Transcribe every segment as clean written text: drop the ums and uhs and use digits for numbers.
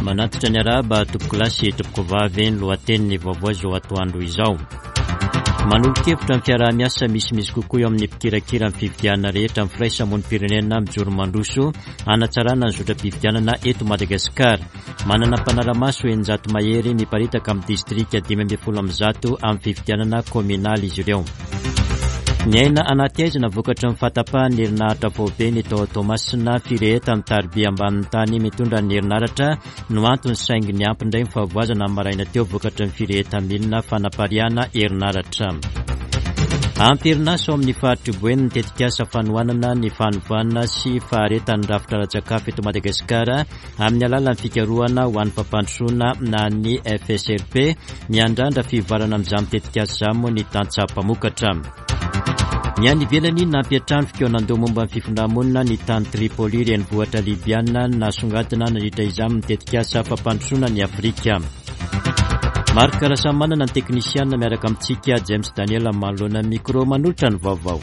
Manatitra ny arahaba tompokolahy sy tompokovavy ny lohatenin'ny vaovao izao atoandro izao. Manolo-kevitra ny fiaraha-miasa misimisy kokoa eo amin'ny mpikirakira ny fifidianana rehetra ny firaisamonim-pirenena mijoro mandroso hanatsarana ny zotram-pifidianana eto Madagasikara. Manana mpanara-maso 600 mahery miparitaka amin'ny distrika 115 amin'ny fifidianana kaominaly izy ireo. Miaina anaty aizina vokatry ny fahatapahan'ny herinaratra faobe ny tao Toamasina, firehetan'ny tariby ambanin'ny tany mitondra ny herinaratra no antony saingy niampy indray ny fahavoazana ny maraina teo vokatry ny firehetan'ny milina fanapariahana herinaratra. Amperinasa ao amin'ny faritr'i Boeny ny tetikasa fanohanana ny fanovana sy faharetan'ny rafitra ara-tsakafo eto Madagasikara amin'ny alalan'ny fikarohana ho an'ny fampandrosoana na ny FSRP. Miandrandra fivoarana amin'izany tetikasa izany moa ny tantsaha mpamokatra. Ny any ivelany, nampiantrano fikaonandoha momba ny fifindrà-monina ny tany Tripoli, renivohitra Libyana, nasongadina nandritra izany ny tetikasa fampandrosoana an'i Afrika. Marc Rasamimanana ny teknisiana miaraka amintsika James Daniel manoloana ny micro manolotra ny vaovao.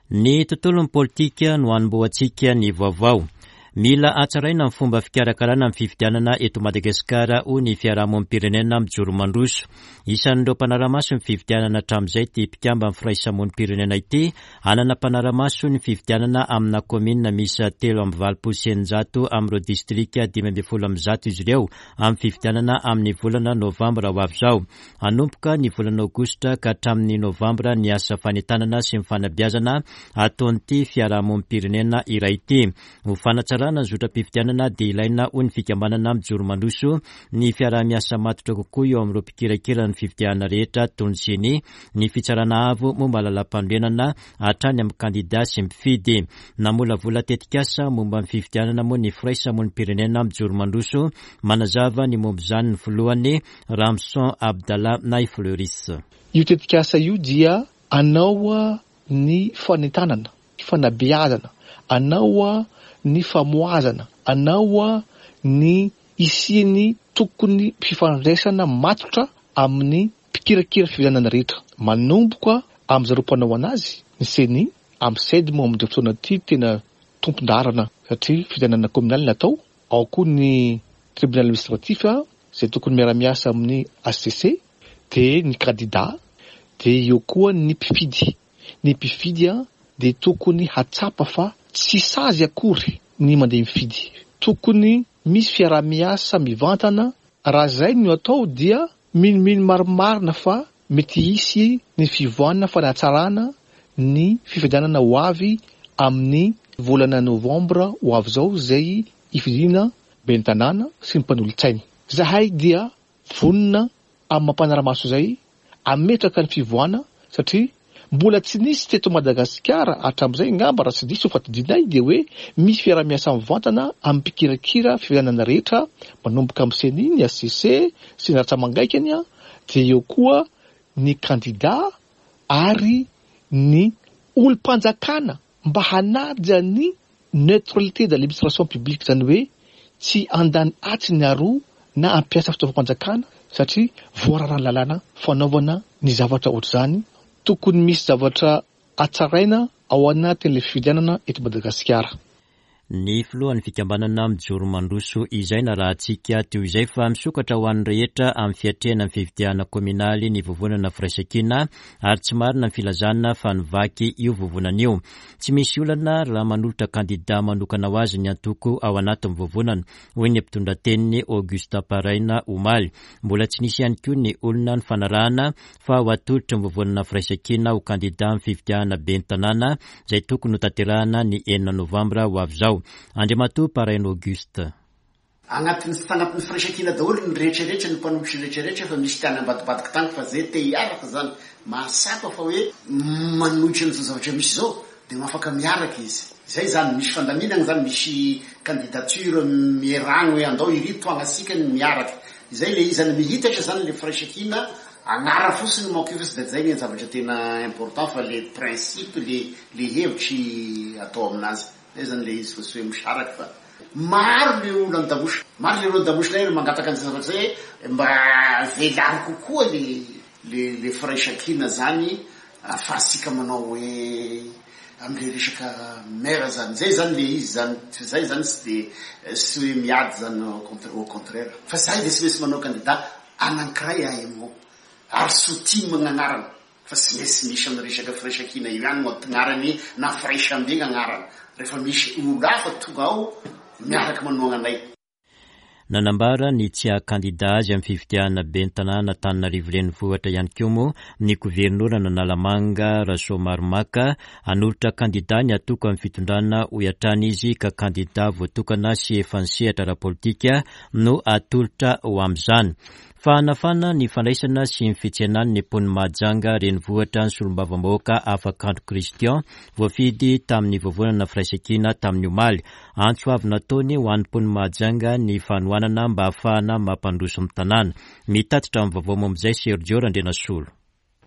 Ny tontolon'ny politika no hanombohantsika ny vaovao. Mila hatsaraina ny fomba fikarakarana ny fifidianana eto Madagasikara, hoy ny fiarahamonim-pirenena mijoro mandroso. Isan'ireo mpanara-maso ny fifidianana hatramin'izay ity mpikamban'ny firaisamonim-pirenena ity. Hanana mpanara-maso ny fifidianana amina kaominina miisa 683 amin'ireo distrika 115 izy ireo amin'ny fifidianana amin'ny volana novambra ho avy izao. Hanomboka ny volana aogositra ka hatramin'ny novambra ny asa fanentanana sy ny fanabeazana ataon'ity fiarahamonim-pirenena iray ity. Ho fanatsarana ny zotram-pifidianana dia ilaina hoy ny fikambanana Mijoro Mandroso ny fiaraha-miasa matotra kokoa eo amin'ireo mpikirakira ny fifidianana rehetra toy ny Ceni, ny Fitsarana Avo momba ny Lalàmpanorenana hatrany amin'ny kandida sy mpifidy. Namolavola tetikasa momba ny fifidianana moa ny firaisamonim-pirenena Mijoro Mandroso. Manazava ny momba izany ny filohany, Ramson Abdallah Nay Fleuris. Io tetikasa io dia hanao ny fanentanana, fanabeazana, hanao ny famohazana, hanao ny hisian'ny tokony fifandraisana matotra amin'ny mpikirakira fifidianana rehetra, manomboka amin'ny zareo mpanao anazy, ny Ceni, amin'ny Ced moa amin'izao fotoana ity tena tompon-daharana satria fifidianana kaominaly natao, ao koa ny tribunal administratif izay tokony miara-miasa amin'ny HCC, dia ny kandida, dia eo koa ny mpifidy. Ny mpifidy dia tokony hatsapa fa tsy sazy akory ny mandeha mifidy. Tokony misy fiaraha-miasa mivantana, raha izay no atao dia minomino marimarina fa mety hisy ny fivoahana fanatsarana ny fifidianana ho avy amin'ny volana novambra ho avy izao izay hifidiana ben'ny tanàna sy ny mpanolotsainy. Izahay dia vonona amin'ny maha mpanara-maso izay hametraka ny fivoahana satria mbola tsy nisy teto Madagasikara hatramin'izay angamba raha tsy diso fa tadidinay dia hoe misy fiaraha-miasa mivantana amin'ny mpikirakira fifidianana rehetra manomboka amin'ny ceni, ny HCC sy ny ratsa-mangaikany dia eo koa ny kandida ary ny olom-panjakana mba hanaja ny neutralité de l'administration publique, izany hoe tsy handany atsy ny aroa na hampiasa fitaovam-panjakana satria voararan'ny lalàna fanaovana ny zavatra ohatr'izany, tokony misy zavatra hatsaraina ao anatin'ilay fifidianana eto Madagasikara. Ny filohan'ny fikambanana Mijoro Mandroso izay narahantsika teo izay fa misokatra ho an'ny rehetra amin'ny fiatrehana ny fifidianana kaominaly ny vovonana Firaisankina ary tsy marina ny filazana fa nivaky io vovonana io. Tsy misy olana raha manolotra kandida manokana ho azy ny antoko ao anatin'ny vovonana, hoy ny mpitondra teniny Auguste Paraina omaly. Mbola tsy nisy ihany koa ny olona nifanarahana fa ho atolotry ny vovonana Firaisankina ho kandida amin'ny fifidianana ben'ny tanàna izay tokony hotanterahana ny enina novambra ho avy izao. Andriamatoa Paraina Auguste. Agnatin'ny tagnatin'ny firaisankina daholo ny rehetra rehetra ny mpanohitry rehetra rehetra fa misy tany ambadibadiky tany fa zay te hiaraka zany mahatsapa fa hoe manohitra an'izao zavatra misy zao de afaka miaraka izy zay zany misy fandaminagna zany misy candidature mieragna hoe andao iry toagnasika ny miaraka izay le izy zany mihitatra zany le firaisankina agnara fotsiny manko io fa tsy de zay ny zavatra tena important fa le principe le le hevitry atao aminazy Zay zany le izy fa tsy hoe misaraka fa maro le olo an-damosina, maro le olo an-damosina eny mangataka an'izay zavatra zay hoe mba velaro kokoa le le le firaisankina zany. Ahafahantsika manao hoe amle resaka maire zany, zay zany le izy zany, fa zay zany tsy de tsy hoe miady zany au contraire, fa zahay de tsy maintsy manao candidat anankiray AMO ary SOTIM gn'agnarana fa tsy maintsy misy am resaka firaisankina io ihany no agnarany na firaisambe gn'agnarana rehefa misy olo hafa tonga ao miaraka manohagna anay. Nanambara ny tsy haha kandida azy amin'ny fifidianana ben'ny tanàna Antananarivo Renivohitra ihany koa moa ny governoran'Analamanga Rasoamaromaka. Hanolotra kandida ny antoko amin'ny fitondrana hoy hatrany izy ka kandida voatokana sy efa nisehatra ara-politika no atolotra ho amin'izany. Fahanafana ny fandraisana sy ny fitsenany ny mponin'i Mahajanga renivohitra ny solombavambahoaka Afakandro Christian voafidy tamin'ny vovonana Firaisankina tamin'ny omaly. Antso avo nataony ho an'ny mponin'i Mahajanga ny fanohanana mba hahafahana mampandroso ny tanàna. Mitatitra ny vaovao momba izay Sergio Randrianasolo.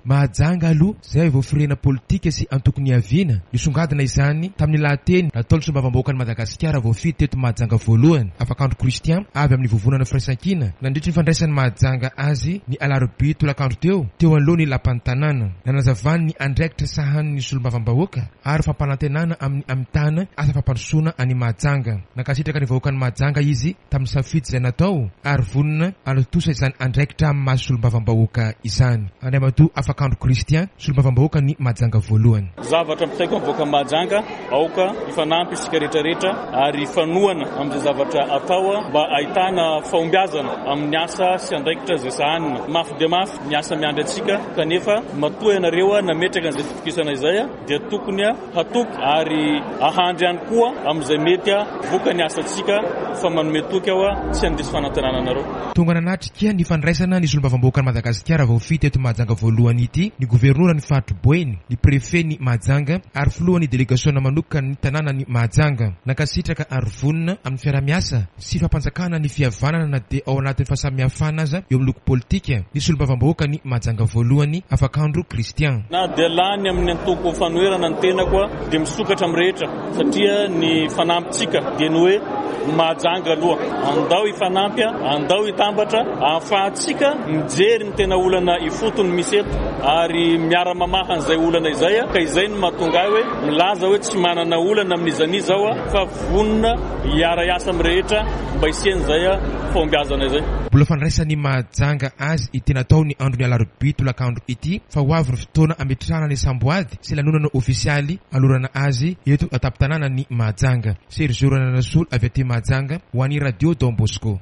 Mahajanga aloha izay vao firehana politika sy antoko niaviana. Nisongadina izany tamin'ny lahateny nataon'ny solombavambahoakan'i Madagasikara voafidy teto Mahajanga voalohany, Afakandro Christian, avy amin'ny Vovonana Firaisankina, nandritry ny fandraisan'i Mahajanga azy ny alarobia tolakandro teo, teo anoloan'ny lapan'ny tanàna. Nanazavany ny andraikitra sahanin'ny solombavambahoaka ary fampanantenana amin'ny hamitana asa fampandrosoana an'i Mahajanga. Nankasitraka ny vahoakan'i Mahajanga izy tamin'ny safidy izay natao ary vonona hanatontosa izany andraikitra amin'ny maha solombavambahoaka izany. Andriamatoa Afakandro Christian, solombavambahoakan'i Mahajanga voalohany. Zavatra ampitaiko amin'ny vahoakan'i Mahajanga, aoka hifanampy isika rehetra rehetra ary hifanohana amin'izay zavatra atao mba hahitana fahombiazana amin'ny asa sy andraikitra izay sahanina. Mafy dia mafy ny asa miandry antsika kanefa matoa ianareo nametraka an'izay fitokisana izay dia tokony hatoky ary ahandry ihany koa amin'izay mety vokany asantsika fa manome toky aho tsy handiso fanantenana anareo. Tonga nanatrika ny fandraisana ny solombavambahoakan'i Madagasikara voafidy teto Mahajanga voalohany ity ny governoran'ny faritr'i Boeny, ny prefet-n'i Mahajanga ary filohan'ny delegasiona manokan'ny tanànan'i Mahajanga. Nankasitraka ary vonona amin'ny fiaraha-miasa sy fampanjakana ny fihavanana na dia ao anatin'ny fahasamihafana aza eo amin'ny loko politika, ny solombavambahoakan'i Mahajanga voalohany, Afakandro Christian. Na dia lany amin'ny antoko fanoherana ny tenako dia misokatra amin'ny rehetra satria ny fanampintsika dia ny hoe Mahajanga aloha. Andao hifanampy, andao hitambatra ahafahantsika mijery ny tena olana ifotony misy eto ary miara-mamaha an'izay olana izay ka izay no mahatonga ahy hoe milaza hoe tsy manana olana amin'iza n'iza aho fa Vonona hiara-hiasa amin'ny rehetra mba hisian'izay fahombiazana izay. Mbola fandraisan'i Mahajanga azy ity natao ny andron'ny alarobia tolakandro ity fa ho avy ny fotoana hametrahana ny samboady sy lanonana ofisialy hanolorana azy eto an-tampon-tanànan'i Mahajanga. Sergio Rananasolo avy aty Mahajanga ho an'ny Radio Don Bosco.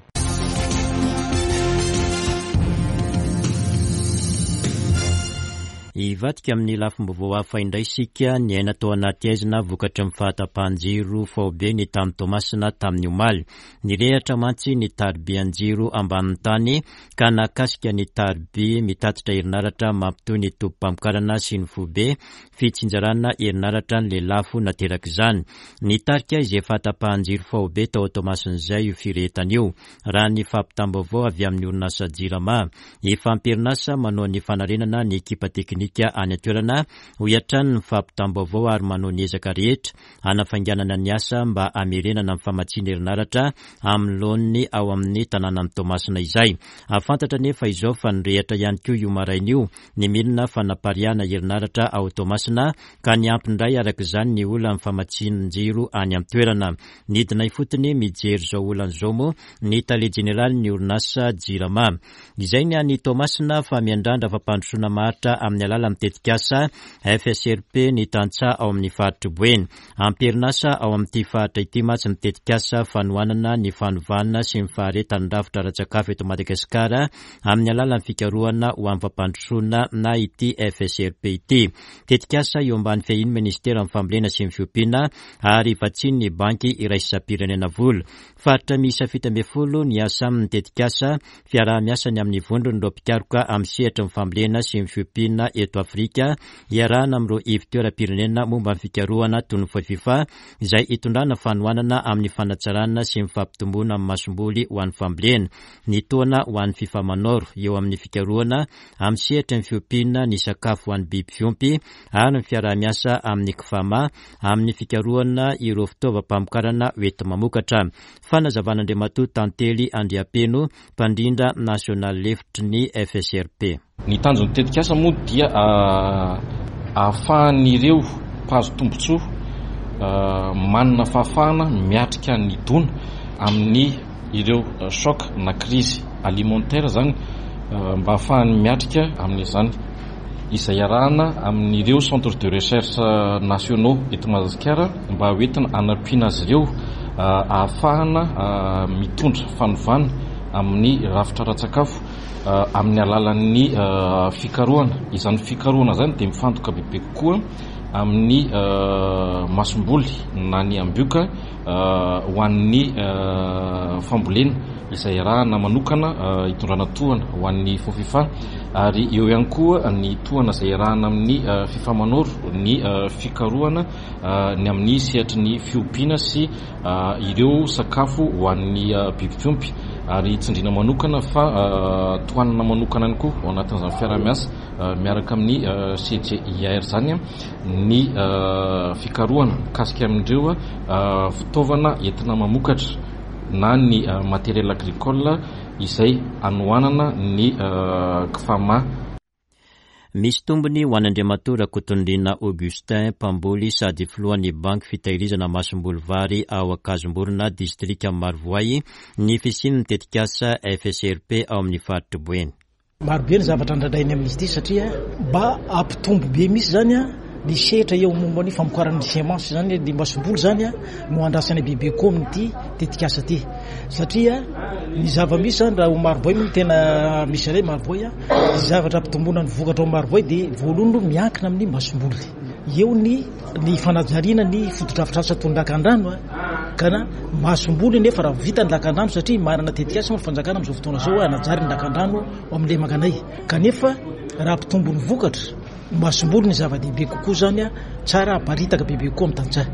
Hivadika amin'ny lafim-baovao hafa indray isika, niaina tao anaty haizina vokatry ny fahatapahan-jiro faobe ny tany Toamasina tamin'ny omaly. Nirehatra mantsy ny taribian-jiro ambanin'ny tany ka nahakasika ny tariby mitatitra herinaratra mampitohy ny tobim-pamokarana sy ny foibe fitsinjarana herinaratra ny lelafo naterak'izany. Nitarika izay fahatapahan-jiro faobe tao Toamasina izay io firehetana io, raha ny fampitam-baovao avy amin'ny orinasa Jirama. Efa am-perinasa manao ny fanarenana ny ekipa teknika any an-toerana, hoy hatrany ny fampitam-baovao ary manao ny ezaka rehetra hanafainganana ny asa mba hamerenana ny famatsiana herinaratra amin'ny laoniny ao amin'ny tanànan'i Toamasina izay. Fantatra anefa izao fa nirehitra ihany koa io maraina io ny milina fanapariahana herinaratra ao Toamasina ka niampy indray araka izany ny olan'ny famatsian-jiro any an-toerana. Nidina ifotony mijery izao olana izao moa ny tale jeneralin'ny orinasa Jirama. Izay ny any Toamasina fa miandrandra fampandrosoana maharitra amin'ny alalan'ny tetikasa FSRP ny tantsaha ao amin'ny faritr'i Boeny. Am-perinasa ao amin'ity faritra ity mantsy ny tetikasa fanohanana ny fanovana sy ny faharetan'ny rafitra ara-tsakafo eto Madagasikara amin'ny alalan'ny fikarohana ho amin'ny fampandrosoana na ity FSRP ity. Tetikasa eo ambany fiahian'ny Ministeran'ny Fambolena sy ny Fiompiana ary vatsian'ny Banky Iraisam-pirenena vola. Faritra miisa 17 ny hiasa amin'ny tetikasa fiaraha-miasa ny amin'ny vondron'ireo mpikaroka amin'ny sehatry ny fambolena sy ny fiompiana eto Afrika iarahana amin'ireo ivon-toeram-pirenena momba ny fikarohana toy ny Fofifa izay hitondrana fanohanana amin'ny fanatsarana sy ny fampitomboana ny masomboly ho an'ny fambolena. Ny tohana ho an'ny Fifamanor eo amin'ny fikarohana amin'ny sehatry ny fiompiana ny sakafo ho an'ny biby fiompy ary ny fiaraha-miasa amin'ny Cfama amin'ny fikarohana ireo fitaovam-pamokarana hoenti-mamokatra. Fanazavan'Andriamatoa Tantely Andriampeno, mpandrindra nasionaly lefitry ny FSRP. Ny tanjon'ny tetikasa moa dia ahafahan'ireo mpahazo tombontsoa manana fahafahana miatrika ny dona amin'ny ireo choc na crise alimentaire izany mba hahafahany miatrika amin'izany izay iarahana amin'ireo centre de recherche nationaux eto Madagasikara mba hoentina hanampiana azy ireo ahafahana mitondra fanovana amin'ny rafitra ara-tsakafo amin'ny alalan'ny fikarohana. Izany fikarohana izany dia mifantoka bebe kokoa amin'ny masomboly na ny ambioka ho an'ny fambolena izay iarahana manokana hitondrana tohana ho an'ny Fofifa ary eo ihany koa ny tohana izay iarahana amin'ny Fifamanoro ny fikarohana ny amin'ny sehatry ny fiompiana sy ireo sakafo ho an'ny biby fiompy ary tsindriana manokana fa tohanana manokana ihany koa ao anatin'izany fiaraha-miasa miaraka amin'ny CGIAR izany ny fikarohana mikasika amin'ireo fitaovana entina mamokatra na ny matériel agricole izay hanohanana ny Cfama. Misy tombony ho an'Andriamatoa Rakotonirina Augustin, mpamboly sady filohan'ny Banky fitahirizana masomboly vary ao Ankazomborona, distrikan'i Marovoay, ny fisian'ny tetikasa FSRP ao amin'ny faritr'i Boeny. Maro be ny zavatra andrandrainy amin'izy ity satria mba hampitombo be mihitsy izany ny sehatra eo momba ny famokarana ny semence izany, ny masomboly izany no andrasana bebe kokoa amin'ity tetikasa ity satria ny zava-misy izany raha ao Marovoay moa no tena misy anay Marovoay, ny zavatra hampitomboana ny vokatra ao Marovoay dia voalohany aloha miankina amin'ny masomboly. Eo ny ny fanajariana ny fotodrafitrasa toy ny lakandrano ka na masomboly nefa raha vita ny lakandrano satria manana tetikasa moa ny fanjakana amin'izao fotoana izao hanajary ny lakandrano ao amin'ny lemakanay kanefa raha hampitombo ny vokatra ny masomboly ny zava-dehibe kokoa zany tsara aparitaka bebe kokoa amin'ny tantsaha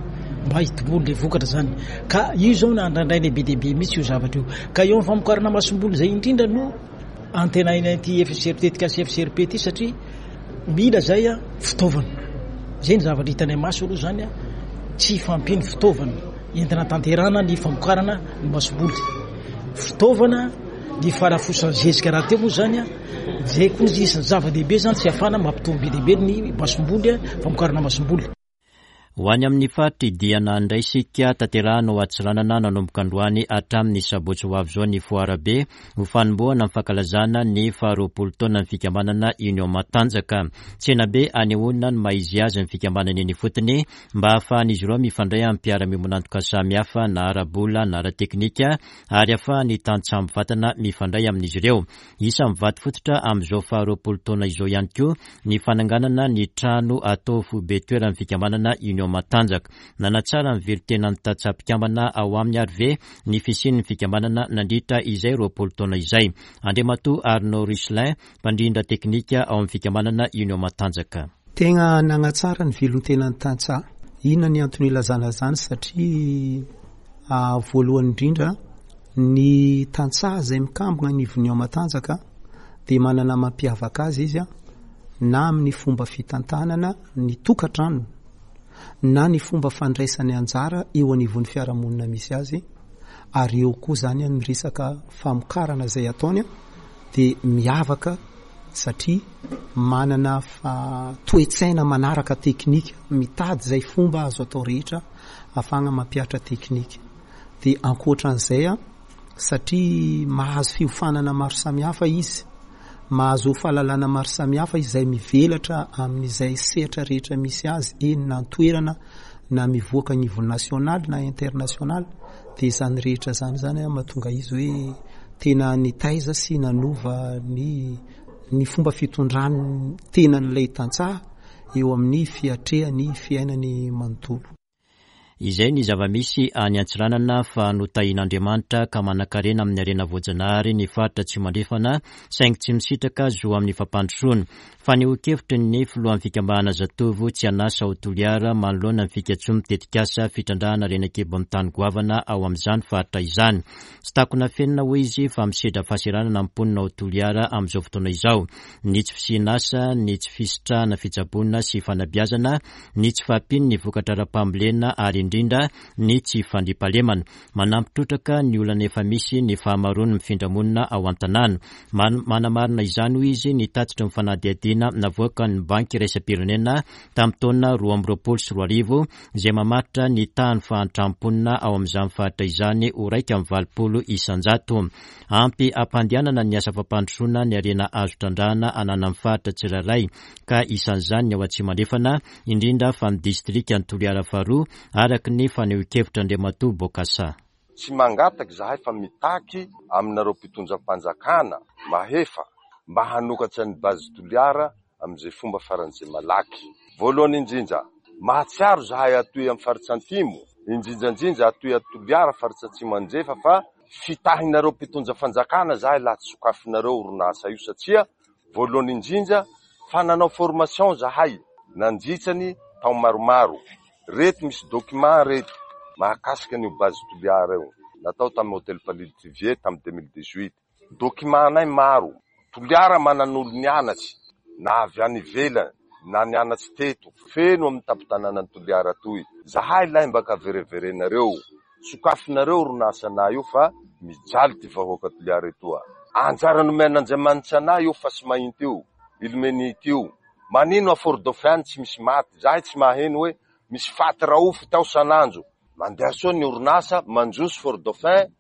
mba hitomboan'ilay vokatra zany ka io izao no andrandraina be dia be mihitsy io zavatra io ka eo amin'ny famokarana masomboly izay indrindra no Antenaina ity FCRP tetikasa FCRP ity satria mila zay fitaovana. Zay ny zavatra hitanay maso aloha zany tsy fahampian'ny fitaovana entina tanterahana ny famokarana ny masomboly. Fitaovana ny fahalafosan'ny zezika rahateo moa zany zay koa isan'ny zava-dehibe zany tsy ahafahana mampitombo be dia be ny masomboly famokarana masomboly. Ho any amin'ny faritr'i Diana indray isika, tanterahina ao Antsiranana nanomboka androany hatramin'ny sabotsy ho avy izao ny foara be ho fanombohana ny fankalazana ny faharoapolo taonan'ny fikambanana Union Matanjaka. Tsenabe anehoana ny maha izy azy ny fikambanana eny ifotony mba hahafahan'izy ireo mifandray amin'ny mpiara-miombon'antoka samihafa na ara-bola na ara-teknika ary hahafahan'ny tantsaha mivantana mifandray amin'izy ireo. Isan'ny vato fototra amin'izao faharoapolo taona izao ihany koa ny fananganana ny trano atao foibe toeran'ny fikambanana Union Matanjaka. Nanatsara ny velon-tenan'ny tantsaha mpikambana ao aminy ary ve ny fisian'ny fikambanana nandritra izay 20 taona izay? Andriamatoa Arnaud Richelin, mpandrindra teknika ao amin'ny fikambanana Union Matanjaka. Tegna nagnatsara ny velon-tenan'ny tantsaha. Inona ny antony ilazana izany? Satria voalohany indrindra Ny tantsaha izay mikambona anivon'ny ao Matanjaka dia manana mampiavaka azy izy na amin'ny fomba fitantanana ny tokantranony na ny fomba fandraisany anjara eo anivon'ny fiarahamonina misy azy ary eo koa izany ny resaka famokarana izay ataony dia miavaka satria manana toe-tsaina manaraka teknika, mitady izay fomba azo atao rehetra ahafahana mampihatra teknika. Dia ankoatra an'izay an, satria mahazo fiofanana maro samihafa izy, mahazo fahalalana maro samihafa izay mivelatra amin'izay sehatra rehetra misy azy, eny na an-toerana na mivoaka niveau national na international, dia izany rehetra izany izany an mahatonga izy hoe tena nitaiza sy nanova ny ny fomba fitondrany tenan'ilay tantsaha eo amin'ny fiatrehany fiainany manontolo. Izay ny zava-misy any Antsiranana fa notahian'Andriamanitra ka manankarena amin'ny harena voajanahary ny faritra Atsimo Andrefana saingy tsy misitraka zo amin'ny fampandrosoana. Fanehoan-kevitry ny filohan'ny fikambanana Zatovo tsy an'asa ao Toliara manoloana ny fikatsoan'ny tetikasa fitrandrahana harena an-kibon'ny tany goavana ao amin'izany faritra izany. Tsy takona afenina hoy izy fa misedra fahasahiranana ny mponina ao Toliara amin'izao fotoana izao. Ny tsy fisian'asa, ny tsy fisitrahana fitsaboana sy fanabeazana, ny tsy fahampian'ny vokatra ara-pambolena ary indrindra. indrindra ny tsy fandriampahalemana. Manampy trotraka ny olana efa misy ny fahamaroan'ny mifindra monina ao an-tanàna. Manamarina izany, hoy izy, ny tatitry ny fanadihadiana navoakan'ny Banky iraisam-pirenena tamin'ny taona 2022 izay mamaritra ny tahan'ny fahantran'ny mponina ao amin'izany faritra izany ho 81%. Ampy hampandehanana ny asa fampandrosoana ny harena azo trandrahana ananan'ny faritra tsirairay ka isan'izany ny ao Atsimo Andrefana, indrindra fa ny distrikan'i Toliara faharoa, araka ny fanehoan-kevitr'Andriamatoa Bokassa. Tsy mangataka izahay fa mitaky aminareo mpitondram-panjakana mahefa mba hanokatra ny Base Toliara amin'izay fomba faran'izay malaky. Voalohany indrindra, mahatsiaro izahay atoy amin'ny faritra Antimo, indrindra indrindra atoy a Toliara faritra Atsimo Andrefa fa fitahinareo mpitondra fanjakana izahay laha tsy sokafinareo orinasa io satria voalohany indrindra fa nanao formation zahay nandritra ny tao maromaro. Reto misy document reto mahakasika an'io base Toliara io natao tamin'ny Hotel Palais Trivier tamin'ny 2018. Document anay maro. Toliara manan'olo nianatsy na avy any ivelany na nianatsy teto. Feno amin'ny tampon-tanànan'i Toliara toy. Zahay lahy mba ka vereverenareo. Sokafinareo orinasa anay io fa mijaly ty vahoaka Toliara etoa. Anjara nomen'Andriamanitra anay io fasimahinty io, ilmenite io. Manino a Fort Dauphin any tsy misy maty? Zahay tsy maheno hoe misy faty raofy tao sanandro. Mandeha soa ny orinasa, mandroso Fort Dauphin.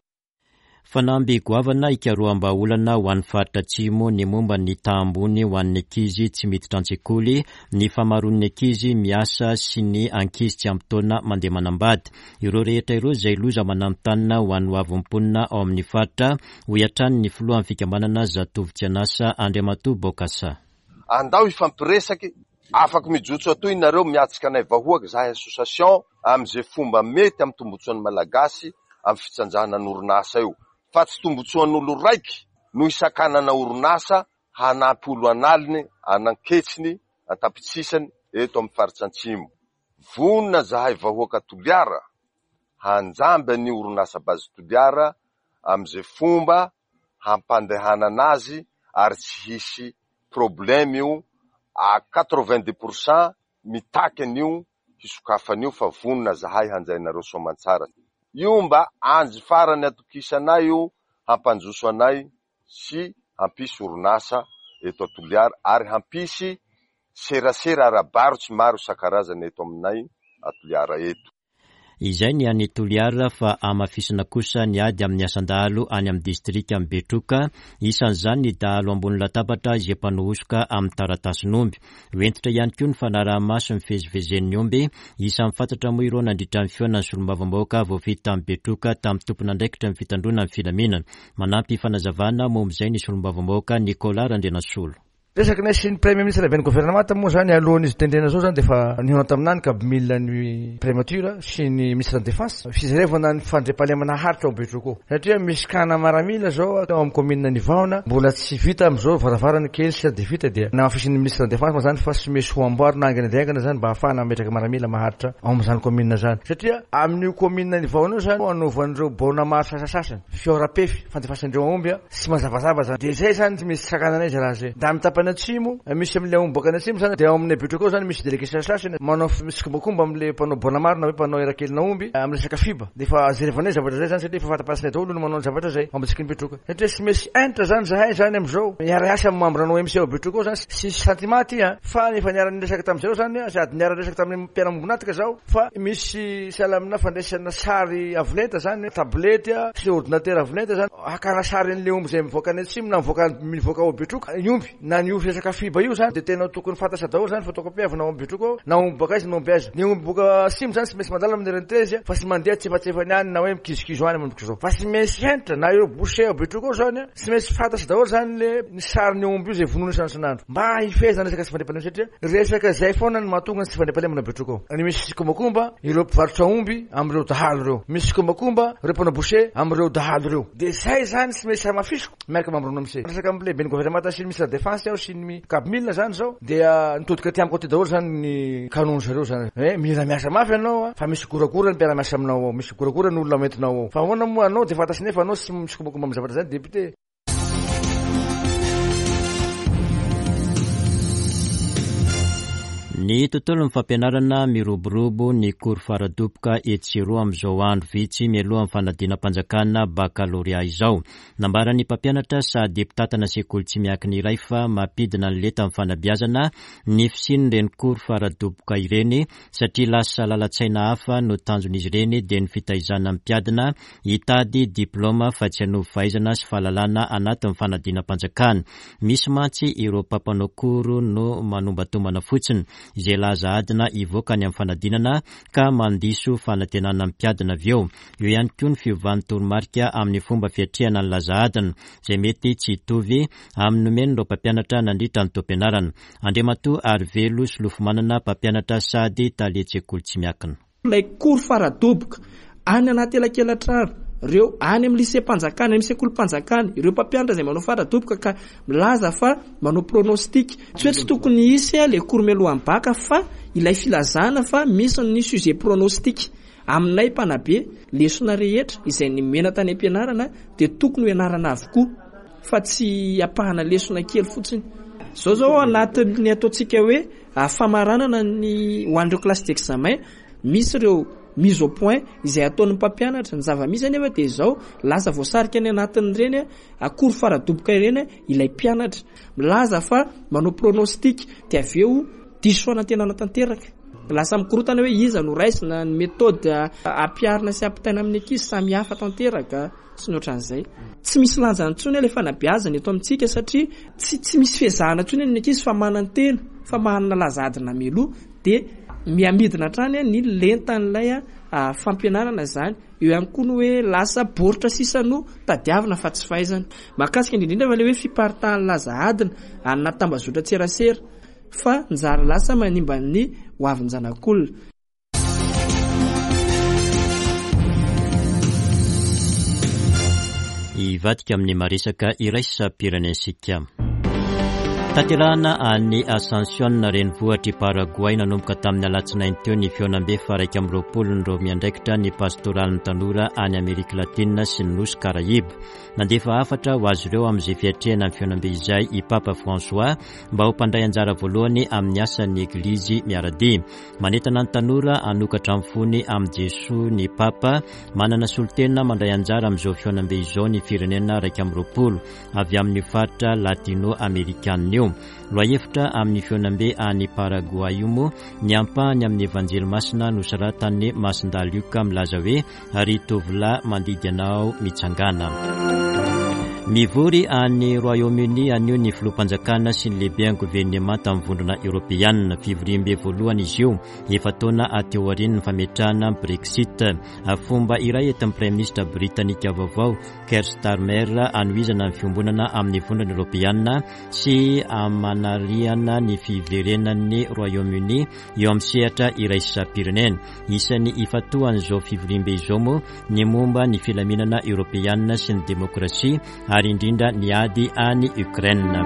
Fanamby goavana hikaroham-bahaolana ho an'ny faritra Atsimo ny momba ny taha ambony ho an'ny ankizy tsy miditra an-tsekoly, ny famaroan'ny ankizy miasa sy ny ankizy tsy ampy taona mandeha manambady. Ireo rehetra ireo izay loza mananontanona ho an'ny hoavin'ny mponina ao amin'ny faritra, hoy hatrany ny filohan'ny fikambanana Zatovo Tsy An'asa, Andriamatoa Bokassa. Andao hifampiresaky, afaky mijotso atoy nareo miatsika anay vahoaka zahay association am ze fomba mety am tombotsoan'ny malagasy am fitsanjahana ny orinasa io fa tsy tombotsoan'olo raiky no hisakanana orinasa hanampy olo analiny ananketsiny antapitsisany eto am faritra antsimo. Vonona zahay vahoaka Toliara hanjamby an'io orinasa base Toliara am ze fomba hampandehanana azy ary tsy hisy problème io à 90 pour cent mitaky an'io hisokafana io fa vonona zahay hanjainareo soamantsara. Io mba anjy farany atokisanay io hampanjoso anay sy hampisy orinasa eto a Toliara ary hampisy serasera ara-barotsy maro isan-karazany eto aminay a Toliara eto. Izay ny any Toliara fa hamafisina kosa ny ady amin'ny asan-dahalo any amin'ny distrikan'i Betroka, isan'izany ny dahalo ambony latabatra izay mpanao hosoka amin'ny taratasin'omby. Ho hentitra ihany koa ny fanaraha-maso ny fivezivezen'ny omby, isan'ny fantatra moa ireo nandritra ny fihaonan'ny solombavambahoaka voafidy tany Betroka tamin'ny tompon'andraikitra ny fitandroana ny filaminana. Manampy fanazavana momba izay ny solombavambahoaka Nicolas Randrianasolo. Resaky ny sy ny Premier Ministre avy any governemanta moa zany alohan'izy tendrena zao zany dia efa nihaona taminany kabmil ny Primature sy ny Ministre ny Defense fizerevana ny fandriampahalemana haharitra ao Betroka ao satria misy kana maramila zao ao amin'ny commune Nivahona mbola tsy vita amin'izao varavarana kely sisa dia vita dia namafisin'ny Ministre ny Defense moa zany fa tsy maintsy ho amboarina haingana dia haingana zany mba hahafahana mametraka maramila maharitra ao amin'izany commune zany satria amin'io commune Nivahona io zany anaovan'ireo baona maro sasasasany fihaoram-pefy fandefasandreo aomby Tsy mazavazava zany. De zay zany tsy misy sakanana izy raha zay. Da amin'ny tapany atsimo, misy amin'ilay omby boaka any atsimo zany, de ao aminay Betroka ao zany misy délégué sasany manao mitsikombakomba amin'ilay mpanao bonamaro na hoe mpanao erakelina omby amin'ny resaka fiba. De efa jerevanay zavatra zay zany satria efa fantapantsina daholo ny manao ny zavatra zay ao ambatsiky ny Betroka. Satria tsy misy hentitra zany zahay zany amin'izao. Miara-hiasa amin'ny membre ny OMC ao Betroka ao zany, tsisy sentiment aty an, fa efa niara-niresaka tamin'izareo zany sady niara-niresaka tamin'ny mpiara-miombon'antoka zaho fa misy sahala amina fandraisana sary avo lenta zany, tablette sy ordinateur avo lenta zany. Hakana sary an'ilay omby izay mivoaka any atsimo na mivoaka mivoaka ao Betroka ny omby na ny omby resaka fiba io zany dia tena tokony fantatra daholo zany photocopie avy na ao Betroka ao na omby boaka aiza na omby aiza. Ny omby boaka atsimo zany tsy maintsy mandalo amin'ny RN13 fa tsy mandeha tsefatsefany any na hoe mikizokizo any manomboka izao fa tsy maintsy hentitra na ireo boucher ao Betroka ao zany tsy maintsy fantatra daholo zany le ny sarin'ny omby io izay vonoina isan'andro mba hifehezana resaka tsy fandriampahalemana satria resaka izay foana no mahatonga ny tsy fandriampahalemana Betroka ao. Ny misy tsikombakomba ireo mpivarotra omby amin'ireo dahalo ireo. Misy tsikombakomba ireo mpanao boucher amin'ireo dahalo ireo. Dia izay izany tsy maintsy hamafisiko miaraka amin'ny membre sy. Resaka amin'ny lehiben'ny governemanta sy ny ministre de la défense aho sy ny cabmil izany izao dia nitodika aty amiko aty daholo izany ny canon zareo izany hoe mila miasa mafy ianao fa misy goragora ny mpiara-miasa aminao ao, misy goragora ny olona hoentinao ao. Fa ahoana moa anao dia fantatry nefa anao tsy mitsikombakomba amin'ny zavatra izany député. Ny tontolon'ny fampianarana miroborobo ny cours faradoboka etsy sy eroa amin'izao andro vitsy mialohan'ny fanadinam-panjakana bakalorea izao. Nambaran'ny mpampianatra sady mpitantana sekoly tsy miankina iray fa mampidina ny lentan'ny fanabeazana ny fisian'ireny cours faradoboka ireny satria lasa lalan-tsaina hafa no tanjon'izy ireny dia ny fitaizana ny mpiadina hitady diplaoma fa tsy hanovo fahaizana sy fahalalana anatin'ny fanadinam-panjakana. Misy mantsy ireo mpampanao cours no manombantombana fotsiny izay laza adina hivoaka any amin'ny fanadinana ka mandiso fanantenana ny mpiadina avy eo. Eo ihany koa ny fiovan'ny toromarika amin'ny fomba fiatrehana ny laza adina izay mety tsy hitovy amin'ny nomen'ireo mpampianatra nandritra ny taom-pianarana. Andriamatoa Arivelo Solofomanana, mpampianatra sady talen-tsekoly tsy miankina. Ilay cours faradoboka any anaty elakelatrano, ireo any amin'ny lycée-mpanjakana, any amin'ny sekolim-panjakana, ireo mpampianatra izay manao faradoboka ka milaza fa manao pronostic. Tsy hoe tsy tokony hisy ilay cours mialohan'ny bac fa ilay filazana fa misy ny sujet pronostic. Aminay mpanabe, lesona rehetra izay nomena tany am-pianarana dia tokony ho ianarana avokoa fa tsy ampahana lesona kely fotsiny. Izao izao ao anatin'ny ataontsika hoe famaranana ny ho an'ireo classe d'examen, misy ireo mise au point izay ataon'ny mpampianatra. Ny zava-misy anefa dia izao, lasa voasarika any anatin'ireny cours faradoboka ireny ilay mpianatra. Milaza fa manao pronostic dia avy eo diso fanantenana tanteraka. Lasa mikorontana hoe iza no raisina, ny méthode ampiharina sy ampitaina amin'ny ankizy samy hafa tanteraka sy ny ohatran'izay. Tsy misy lanjany intsony ilay fanabeazana eto amintsika satria tsy tsy misy fiezahana intsony ny ankizy fa manantena fa manana laza adina mialoha dia mihamidina hatrany ny lentan'ilay fampianarana izany. Eo ihany koa ny hoe lasa baoritra sisa no tadiavina fa tsy fahaizana. Mahakasika indrindra indrindra fa ilay hoe fiparitahan'ny laza adina any anaty tambazotran-tserasera. Fa njary lasa manimba ny hoavin-janak'olona. Hivadika amin'ny maresaka iraisam-pirenentsika. Tanterahana any Asuncion, renivohitr'i Paragoay, nanomboka tamin'ny alatsinainy teo ny fihaonambe faha-21-n'ireo miandraikitra ny pastoralin'ny tanora any Amerika Latina sy ny Nosy Karaiba. Nandefa hafatra ho azy ireo amin'izay fiatrehana ny fihaonambe izay i Papa François, mba ho mpandray anjara voalohany amin'ny asan'ny Eglizy miara-dia. Manentana ny tanora hanokatra ny fony amin'i Jesoa ny Papa. Manana solontena mandray anjara amin'izao fihaonambe izao ny firenena 21 avy amin'io faritra latino-amerikanina io. Lohahevitra amin'ny fihaonambe any Paragoay io moa ny ampahany amin'ny Evanjely Masina nosoratan'i Masindahy Lioka milaza hoe Ry tovolahy mandidy anao mitsangàna. Mivory any Royaume-Uni anio ny filoham-panjakana sy ny lehiben'ny governemanta amin'ny vondrona eoropeanina. Fivoriambe voalohany izy io, efa-taona aty aorian'ny fametrahana ny Brexit. Fomba iray entin'ny praiminisitra britanika vaovao, Keir Starmer, hanohizana ny fiombonana amin'ny vondrona eoropeanina sy hamanarihana ny fiverenan'ny Royaume-Uni eo amin'ny sehatra iraisam-pirenena. Isan'ny ifantohan'izao fivoriambe izao moa ny momba ny filaminana eoropeanina sy ny demokrasia ary indrindra ny ady any Ukraine.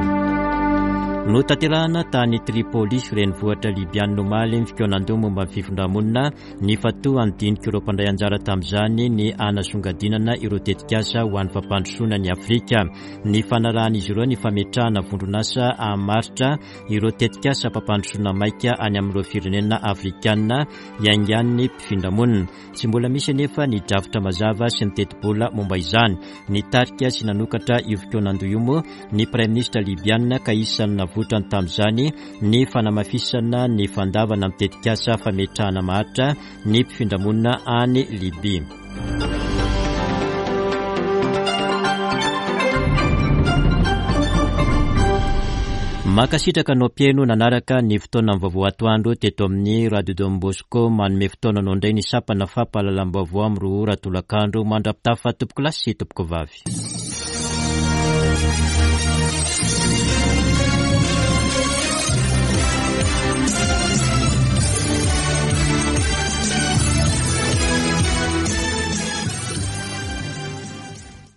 Notanterahana tany Tripoli, renivohitra Libyana omaly ny fikaonandoha momba ny fifindramonina. Nifantohan'ny dinik'ireo mpandray anjara tamin'izany ny hanasongadinana ireo tetikasa ho an'ny fampandrosoana an'i Afrika. Nifanarahan'izy ireo ny fametrahana vondron'asa hamaritra ireo tetikasam-pampandrosoana maika any amin'ireo firenena afrikanina iaingan'ny mpifindramonina. Tsy mbola misy anefa ny drafitra mazava sy ny tetibola momba izany. Nitarika sy nanokatra io fikaonandoha io moa ny praiminisitra libiana ka isan'ny navoitrany tamin'izany ny fanamafisana ny fandavana amin'ny tetikasa fametrahana maharitra ny mpifindramonina any Libia. Mankasitraka anao mpihaino nanaraka ny fotoana ny vaovao atoandro teto amin'ny Radio Don Bosco. Manome fotoana anao indray ny sampana fampahalalam-baovao amin'ny roa ora tolakandro. Mandra-pitafa tompokolahy sy tompokovavy.